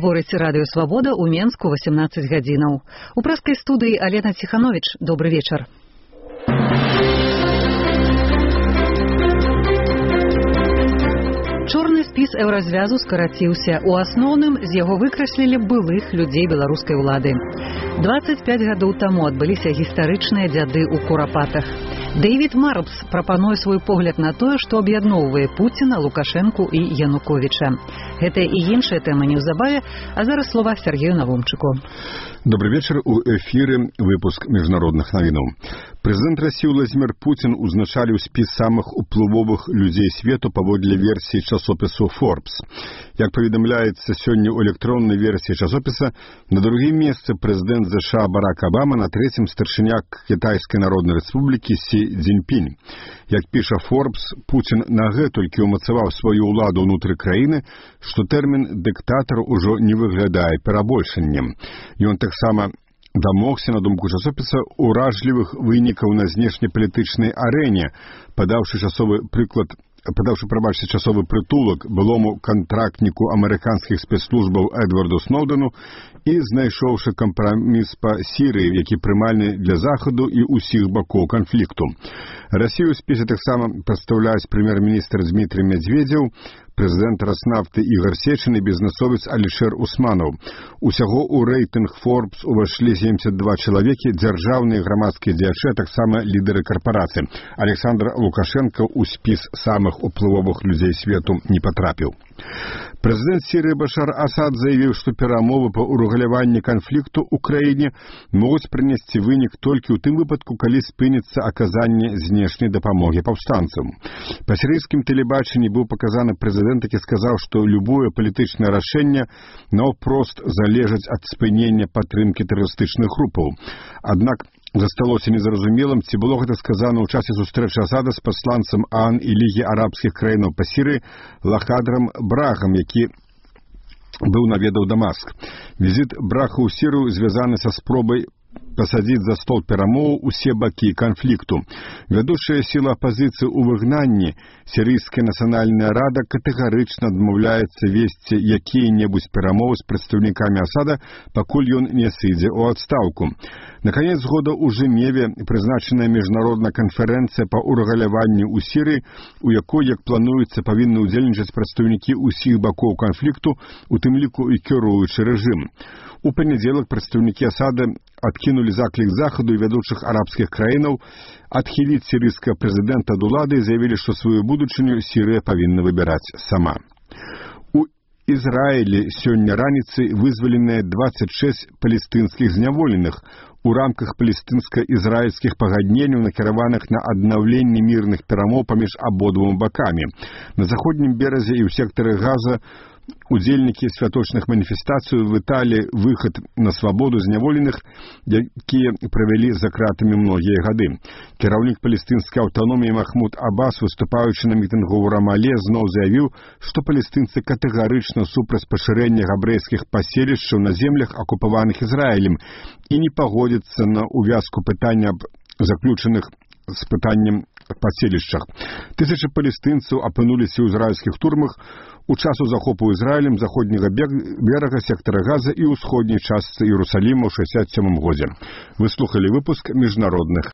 Гаворыць радыё «Свабода» ў Менску 18 гадзінаў. У прэскай студыі Алена Ціхановіч. Добры вечар. Чорны спіс еўразвязу скараціўся. У асноўным з яго выкраслілі былых людзей беларускай улады. 25 гадоў таму адбыліся гістарычныя дзяды ў курапатах. Дэвід Марпс прапануе свой погляд на тое, што аб'ядноўвае Пуціна, Лукашэнку і Януковіча. Гэтая і іншая тэма неўзабаве, а зараз слова Сергею Навумчыку. Добрый вечер. У эфире выпуск международных новинаў. Прэзідэнт Расіі Владзімір Пуцін узначаліў спіс самых уплывовых людзей свету паводле версіі часопісу Forbes. Як паведамляецца сёння ў электроннай версіі часопіса, на другім месцы прэзідэнт США Барак Абама, на трэцім старшыня Кітайскай Народнай Рэспублікі Сі Цзіньпінь. Як піша Forbes, Пуцін нагэтулькі ўмацаваў сваю ўладу ўнутры краіны, што тэрмін «дыктатар» ужо не выглядае перабольшаннем. Ён таксама дамогся, на думку часопіса, уражлівых вынікаў на знешнепалітычнай арэне, падаўшы часовы прытулак былому кантрактніку амерыканскіх спецслужбаў Эдварду Сноўдену і знайшоўшы кампраміс па Сірыі, які прымальны для Захаду і ўсіх бакоў канфлікту. Расію ў спісе таксама прадстаўляюць прэм'ер-міністр Дмітрий Медведзеў, прэзідэнт Раснафты Ігор Сечин і бізнесовец Алішер Усманаў. Усяго ў рэйтынг Forbes увайшлі 72 чалавекі, дзяржаўныя грамадскія дзеячы, а таксама лідары карпорацый. Александр Лукашенко ў спіс самых уплывовых людзей свету не патрапіў. Прэзідэнт Сірыі Башар Асад заявіў, што перамовы па урэгуляванні канфлікту ў краіне могуць прынесці вынік толькі ў тым выпадку, калі спыніцца аказанне знешняй дапамогі паўстанцам. Па сірыйскім тэлебачанні быў паказаны прэзідэнт, які сказаў, што любое палітычнае рашэнне наўпрост залежыць ад спынення падтрымкі тэрарыстычных групаў. Аднак засталося незразумелым, ці было гэта сказана ў часе сустрэчы Асада з пасланцам ААН і Лігі арабскіх краінаў па Сірыі Лахадрам Брахам, які быў наведаў Дамаск. Візіт Браха ў Сірыю звязаны са спробай пасадзіць за стол перамоў усе бакі канфлікту. Вядучая сіла апазіцыі ў выгнанні, Сірыйская нацыянальная рада, катэгарычна адмаўляецца весці якія-небудзь перамовы з прадстаўнікамі Асада, пакуль ён не сыдзе ў адстаўку. На канец года ў Жэневе прызначаная міжнародная канферэнцыя па урэгуляванні ў Сірыі, у якой, як плануецца, павінны ўдзельнічаць прадстаўнікі ўсіх бакоў канфлікту, у тым ліку і кіруючы рэжым. У панядзелак прадстаўнікі Асада адкінулі заклік Захаду і вядучых арабскіх краінаў адхіліць сірыйскага прэзідэнта ад улады і заявілі, што сваю будучыню Сірыя павінна выбіраць сама. У Ізраілі сёння раніцай вызваленыя 26 палестынскіх зняволеных у рамках палестынска-ізраільскіх пагадненняў, накіраваных на аднаўленне мірных перамоў паміж абодвума бакамі. На заходнім беразе і ў сектары Газа удзельнікі святочных маніфестацый віталі выхад на свабоду зняволеных, якія правялі за кратамі многія гады. Кіраўнік палестынскай аўтаноміі Махмуд Аббас, выступаючы на мітынгу ў Рамале, зноў заявіў, што палестынцы катэгарычна супраць пашырэння габрэйскіх паселішчаў на землях, акупаваных Ізраілем, і не пагодзяцца на увязку пытання аб заключаных з пытаннем паселішчах. Тысячы палестынцаў апынуліся ў ізраільскіх турмах у часу захопу Ізраілем заходняга берага сектара Газа і ўсходняй частцы Іерусаліма ў 67 годзе. Вы слухалі выпуск міжнародных